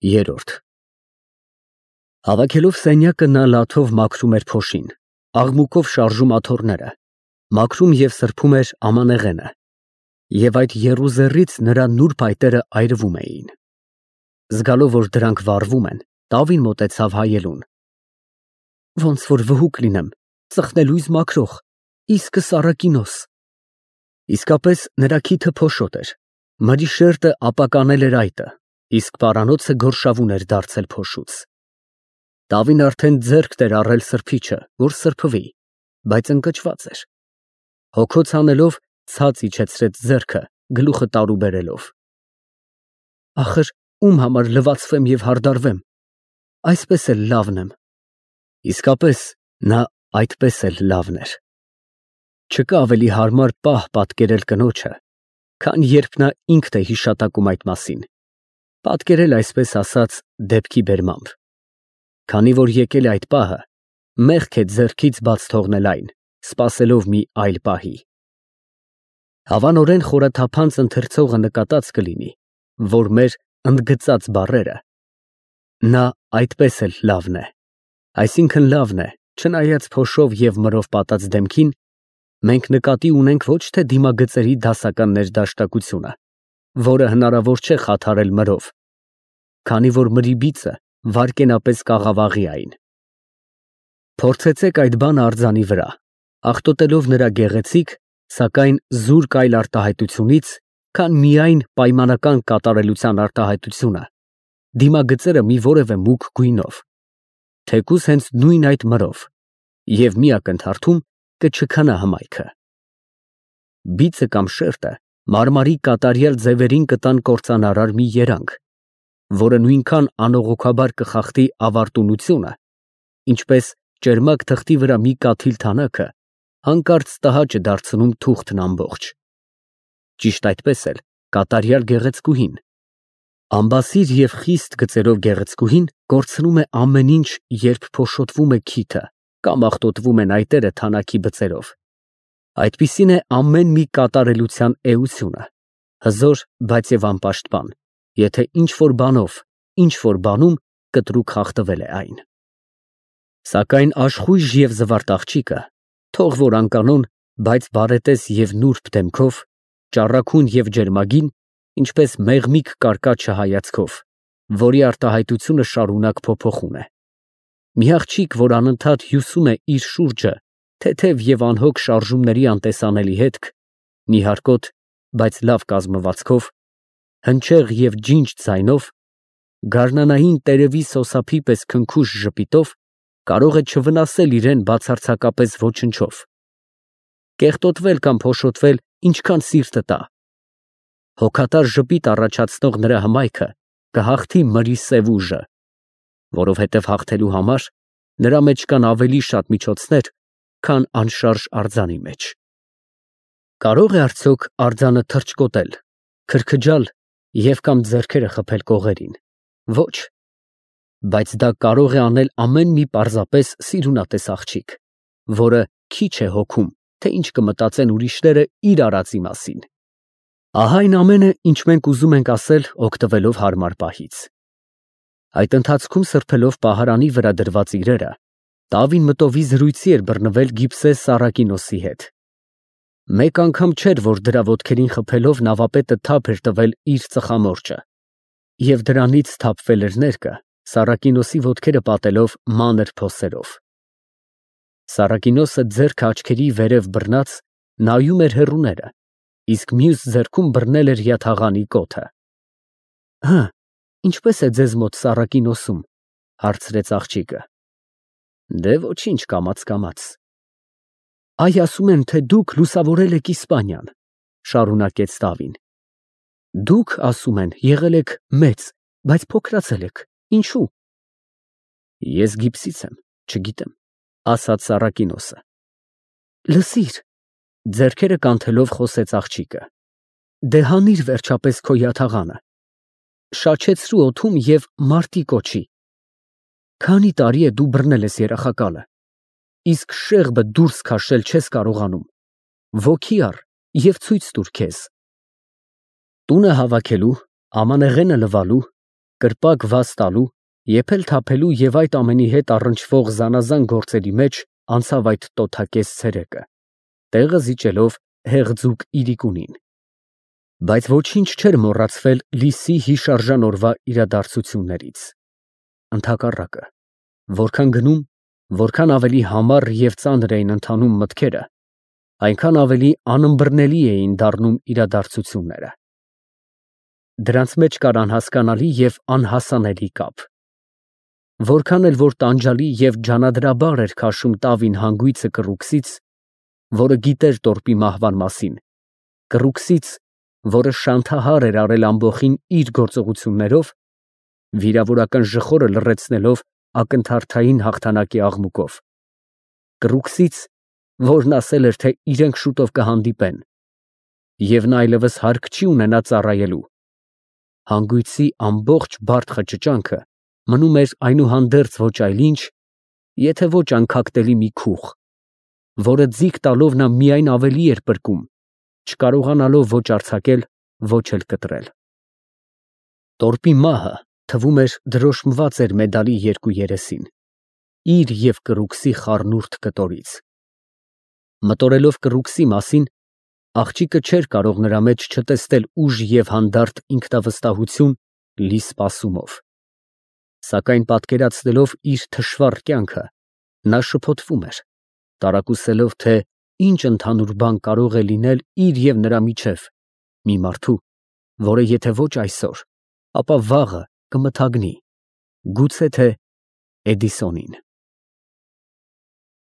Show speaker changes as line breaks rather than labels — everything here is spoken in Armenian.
Երրորդ Հավաքելով սենյակը նա լաթով մաքրում էր փոշին, աղմուկով շարժում աթոռները, մաքրում և սրբում էր ամանեղենը, և այդ եռուզեռից նրա նուրբ այտերը այրվում էին։ Զգալով, որ դրանք վառվում են, տավին մոտեցավ հայելուն։ Ոնց որ վհուկ լինեմ, ծխնելույզ մաքրող, իսկը Սարակինոս։ Իսկապես նրա քիթը փոշոտ էր, մրի շերտը ապականել էր այտը, իսկ պարանոցը գորշավուն էր դարձել փոշուց։ Տավին արդեն ձեռքն էր առել սրբիչը, որ սրբվի, բայց ընկճված էր։ Հոգոց անելով ցած իջեցրեց ձեռքը, գլուխը տարուբերելով։ Ախր ում համար լվացվեմ և հարդարվեմ, այսպես էլ լավն եմ։ Իսկապես նա այդպես էլ լավն էր։ Չկա ավելի հարմար պահ պատկերել կնոջը, քան երբ նա ինքն է հիշատակում այդ մասին, պատկերել այսպես ասած դեպքի բերմամբ։ Քանի որ եկել է այդ պահը, մեղք է ձեռքից բաց թողնել այն, սպասելով մի այլ պահի։ Հավանորեն խորաթափանց ընթերցողը նկատած կլինի, որ մեր ընդգծած բառերը նա այդպես էլ լավն է, այսինքն լավն է, չնայած փոշով և մրով պատած դեմքին, մենք նկատի ունենք ոչ թե դիմագծերի դասական ներդաշնակությունը, որը հնարավոր չէ խաթարել մրով, քանի որ մրի բիծը վայրկենապես կաղավաղի այն։ Փորձեցեք այդ բանը արձանի վրա, աղտոտելով նրա գեղեցիկ, սակայն զուրկ այլ արտահայտությունից, քան միայն պայմանական կատարելության արտահայտությունը, դիմագծերը մի որևէ մուգ գույնով, թեկուզ հենց նույն այդ մրով, և մի ակնթարթում կչքանա հմայքը։ Բիծը կամ շերտը մարմարի կատարյալ ձևերին կտան կործանարար մի երանգ, որը նույնքան անողոքաբար կխախտի ավարտունությունը, ինչպես ճերմակ թղթի վրա մի կաթիլ թանաքը հանկարծ տհաճ է դարձնում թուղթն ամբողջ։ Ճիշտ այդպես էլ կատարյալ գեղեցկուհին, ամբասիր և խիստ գծերով գեղեցկուհին կորցնում է ամեն ինչ, երբ փոշոտվում է քիթը կամ աղտոտվում են այտերը թանաքի բծերով։ Այդպիսին է ամեն մի կատարելության էությունը, հզոր, բայց և անպաշտպան, եթե ինչ-որ բանով, ինչ-որ բանում կտրուկ խախտվել է այն։ Սակայն աշխույժ և զվարթ աղջիկը, թող որ անկանոն, բայց բարետես և նուրբ դեմքով, ճառագուն և ջերմագին, ինչպես մեղմիկ կարկաչը հայացքով, որի արտահայտությունը շարունակ փոփոխում է։ Մի աղջիկ, որ անընդհատ հյուսում է իր շուրջը թեթև և անհոգ շարժումների անտեսանելի հետք, նիհարկոտ, բայց լավ կազմվածքով, հնչեղ և ջինջ ձայնով, գարնանային տերևի սոսափի պես քնքուշ ժպիտով, կարող է չվնասել իրան բացարձակապես ոչնչով, կեղտոտվել կամ փոշոտվել ինչքան սիրտը տա։ Հոգատար ժպիտ առաջացնող նրա հմայքը կհաղթի մրի սև ուժը, որովհետև հաղթելու համար նրա մեջ կան ավելի շատ միջոցներ, քան անշարժ արձանի մեջ։ Կարո՞ղ է արդյոք արձանը թռչկոտել, քրքջալ և կամ ձեռքերը խփել կողերին։ Ոչ, բայց դա կարող է անել ամեն մի պարզապես սիրունատես աղջիկ, որը քիչ է հոգում, թե ինչ կմտածեն ուրիշները իր արածի մասին։ Ահա այն ամենը, ինչ մենք ուզում ենք ասել, օգտվելով հարմար պահից։ Այդ ընթացքում սրբելով պահարանի վրա դրված իրերը, տավին մտովի զրույցի էր բռնվել Գիբսե Սարակինոսի հետ։ Մեկ անգամ չէր, որ դրա ոտքերին խփելով նավապետը թափ էր տվել իր ծխամորճը, և դրանից թափվել էր ներկը, Սարակինոսի ոտքերը պատելով մանր փոսերով։ Սարակինոսը ձեռքը աչքերի վերև բռնած նայում էր հեռուները, իսկ մյուս ձեռքում բռնել էր յաթաղանի կոթը։ Հը, ինչպե՞ս է ձեզ մոտ Սարակինոսում, հարցրեց աղջիկը։ Դե ոչինչ, կամաց։ Այ ասում են, թե դուք լուսավորել եք Իսպանիան, շարունակեց տավին։ Դուք, ասում են, եղել եք մեծ, բայց փոքրացել եք, ինչու։ Ես Գիբսից եմ, չգիտեմ, ասաց Սարակինոսը։ Լսիր, ձեռքերը կանթելով խոսեց աղջիկը, դե հանիր վերջապես քո յաթաղանը, շաչեցրու օդում և մարտի կոչի։ Քանի տարի է դու բռնել ես երախակալը, իսկ շեղբը դուրս քաշել չես կարողանում, ոգի առ և ցույց տուր քեզ։ Տունը հավաքելու, ամանեղենը լվալու, կրպակ վազ տալու, եփել թափելու և այդ ամենի հետ առնչվող զանազան գործերի մեջ անցավ այդ տոթակեզ ցերեկը, տեղը զիջելով հեղձուկ իրիկունին։ Բայց ոչինչ չէր մոռացվել Լիսի հիշարժան օրվա իրադարձություններից։ Ընդհակառակը, որքան գնում, որքան ավելի համառ և ծանր էին ընթանում մտքերը, այնքան ավելի անըմբռնելի էին դառնում իրադարձությունները։ Դրանց մեջ կար անհասկանալի և անհասանելի կապ։ Որքան էլ որ տանջալի և ջանադրաբար էր քաշում տավին հանգույցը կռուքսից, որը գիտեր տորպի մահվան մասին, կռուքսից, որը շանթահար էր արել ամբոխին իր գործողություններով, վիրավորական ժխորը լռեցնելով ակնթարթային հաղթանակի աղմուկով, կռուքսից, որն ասել էր, թե իրենք շուտով կհանդիպեն, և նա այլևս հարկ չի ունենա ծառայելու, հանգույցի ամբողջ բարդ խճճանքը մնում էր այնուհանդերձ ոչ այլ ինչ, եթե ոչ անքակտելի մի քուղ, որը ձիգ տալով նա միայն ավելի էր պրկում, չկարողանալով ոչ արձակել, ոչ էլ կտրել։ Տորպի մահը, թվում էր, դրոշմված էր մեդալի երկու երեսին, իր և կռուքսի խառնուրդ կտորից։ Մտորելով կռուքսի մասին, աղջիկը չէր կարող նրա մեջ չտեսնել ուժ և հանդարտ ինքնավստահություն լի սպասումով։ Սակայն պատկերացնելով իր թշվառ կյանքը, նա շփոթվում էր, տարակուսելով, թե ինչ ընդհանուր բան կարող է լինել իր և նրա միջև, մի մարդու, որը եթե ոչ այսօր, ապա վաղը կմթագնի, գուցե թե Էդիսոնին։